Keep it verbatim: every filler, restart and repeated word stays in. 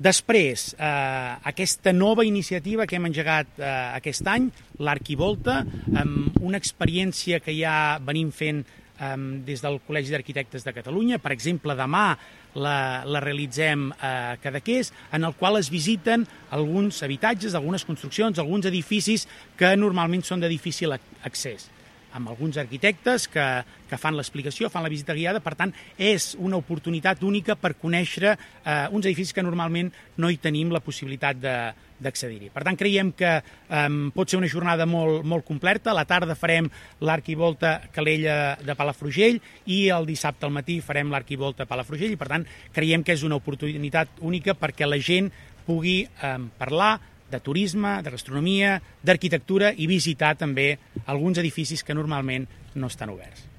Després, eh, aquesta nova iniciativa que hem engegat eh, aquest any, l'Arquivolta, amb una experiència que ja venim fent eh, des del Col·legi d'Arquitectes de Catalunya. Per exemple, demà la, la realitzem a Cadaqués, en el qual es visiten alguns habitatges, algunes construccions, alguns edificis que normalment són de difícil accés, amb alguns arquitectes que, que fan l'explicació, fan la visita guiada. Per tant, és una oportunitat única per conèixer eh, uns edificis que normalment no hi tenim la possibilitat d'accedir-hi. Per tant, creiem que eh, pot ser una jornada molt, molt completa. A la tarda farem l'Arquivolta Calella de Palafrugell i el dissabte al matí farem l'Arquivolta Palafrugell, i per tant creiem que és una oportunitat única perquè la gent pugui eh, parlar de turisme, de gastronomia, d'arquitectura i visitar també alguns edificis que normalment no estan oberts.